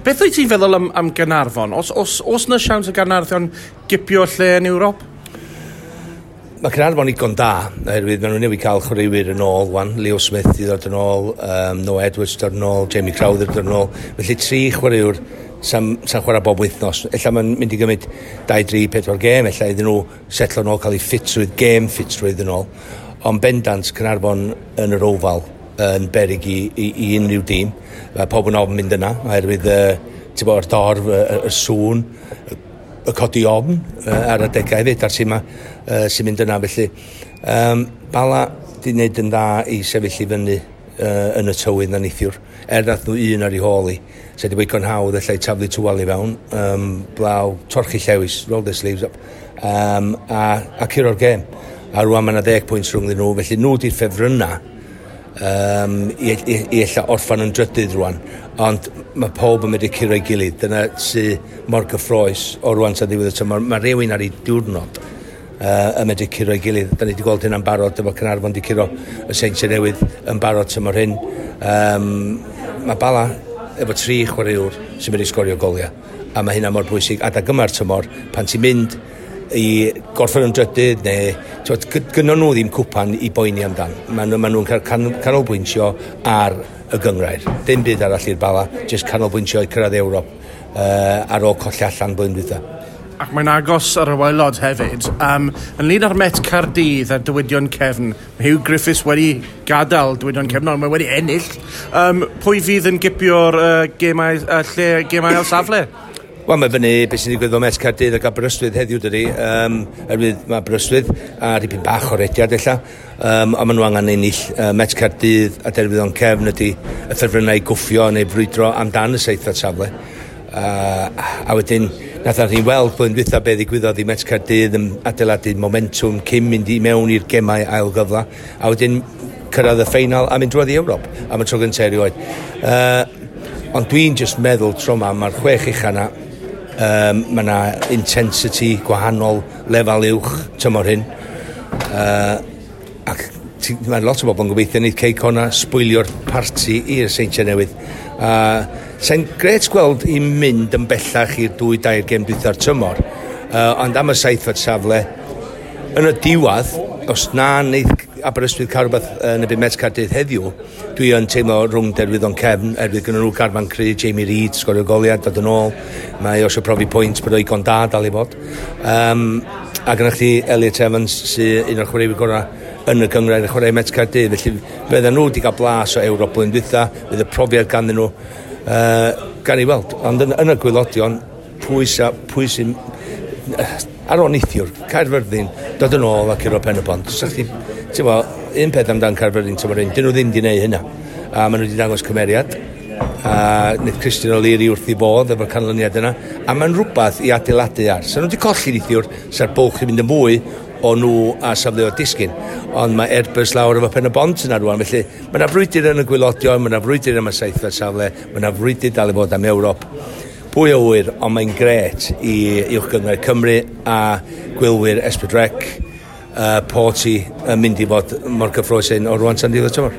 Beth wyt ti'n feddwl am Gaernarfon? Os na siawns y Gaernarfon gipio lle yn Ewrop? Mae Caernarfon igon da, oherwydd maen nhw newydd cael chwaraewyr yn ôl, wan. Leo Smith i ddod yn ôl, Noah Edwards dod yn ôl, Jamie Crowther dod yn ôl. Felly tri chwaraewr sa'n chwarae bob wythnos. Ella mae'n mynd i gymryd 2, 3, 4 gêm, ella iddyn nhw setlo yn ôl, cael eu ffitrwydd, gêm ffitrwydd yn ôl. Ond bendant Caernarfon yn yr Oval yn beryg i unrhyw dîm. Mae pob yn ofn mynd yna, oherwydd yr dorf, y sŵn, y codi ofn ar adegau hefyd, a'r tîm sy'n mynd yna. Felly, Bala di wneud yn dda i sefyll i fyny yn y tywydd na neithiwr. Er nath nhw un ar ei hôl i. Se di weithio'n hawdd allai taflu tywal i fewn, blaw, torchi llewis, roll the sleeves up, a curo'r gêm. A rwan mae yna 10 pwynt rhwng nhw, felly nhw di'r ffefrynna i ella orffan yn drydydd rwan. Ond mae pob yn medru curo ei gilydd. Dyna sy mor gyffrous o rwan tan ddiwedd y tymor. Mae rhywun ar ei diwrnod yn medru curo ei gilydd. Da ni wedi gweld hynna'n barod efo Caernarfon wedi curo y Seintiau Newydd yn barod tymor hyn. Mae Bala efo 3 chwaraewr sy'n medru sgorio goliau. A mae hynna mor bwysig. Adag yma'r tymor, pan ti'n mynd i gorffen yn drydydd, neu gynnon nhw ddim cwpan i boeni amdan. Maen nhw'n cael canolbwyntio ar y gynghrair. Dim byd arall i'r Bala, jyst canolbwyntio i cyrraedd Ewrop ar ôl colli allan blwyddyn dwytha. Ac mae'n agos ar y waelod hefyd. Ynglyn â'r Met Caerdydd a Dywydion Cefn, mae Hugh Griffiths wedi gadael Dywydion Cefn, ond mae wedi ennill. Pwy fydd yn gipio'r gemau, lle gemau ail safle? Wel, mae fyny beth sy'n digwydd o Met Caerdydd ac Aberystwyth heddiw, dydy. Oherwydd mae Aberystwyth a dipyn bach o rediad ella, ond maen nhw angen ennill. Met Caerdydd a Derwyddon Cefn ydy y ffefrynnau i gwffio neu brwydro amdan y seithfed safle. A wedyn, nath ni weld blwyddyn dwytha be ddigwyddodd i Met Caerdydd yn adeiladu momentwm cyn mynd i mewn i'r gemau ail gyfla, a wedyn cyrraedd y ffeinal a mynd drwodd i Ewrop am y tro gyntaf erioed. Ond dwi'n just meddwl tro yma, mae'r 6 ucha yna, mae yna intensity gwahanol, lefel uwch tymor hyn. Ac mae lot o bobl yn gobeithio wneud Cei Connah sbwylio'r parti i'r Seintiau Newydd. Sa'n gret gweld i mynd yn bellach i'r 2-3 gêm dwytha'r tymor, ond am y seithfed safle, yn y diwedd, os na wneith Aberystwyth cael rhywbeth yn y byd Met Caerdydd heddiw, dwi yn teimlo rhwng Derwyddon Cefn, erwydd gynnon nhw garfan cry, Jamie Reid, sgorio goliad, dod yn ôl, mae o eisiau profi pwynt bod o igon da dal i fod. A gynnwch chi Elliot Evans, sy'n un o'r chwaraewyr gorau yn y gynghrair yn chwarae Met Caerdydd, felly fydden nhw wedi cael blas o Ewrop blwyddyn dwytha, fydd y profiad ganddyn nhw, gan i weld. Ond yn y gwaelodion, pwy sy'n ar ôl neithiwr, Caerfyrddin, dod yn ôl ac curo Pen y Bont. Ti'n bo, un peth amdan Caerfyrddin tymor hyn, dyn nhw ddim wedi gwneud hynna. A maen nhw wedi dangos cymeriad. A wnaeth Christian O'Leary wrth i bodd efo'r canlyniad yna. A mae'n rhywbeth i adeiladu ar. Sa nhw wedi colli neithiwr, sa'r bwlch yn mynd yn fwy o nhw a safleoedd disgyn. Ond mae Airbus lawr efo Pen y Bont yna rwan. Felly mae yna frwydr yn y gwaelodion, mae yna frwydr am y seithfed safle, mae yna frwydr dal i fod am Ewrop. Pwy o ŵyr, ond mae'n gret i Uwch Gynghrair Cymru a gwylwyr S4C, Porty yn mynd i fod mor gyffrous hyn o rwan tan diwedd y tymor.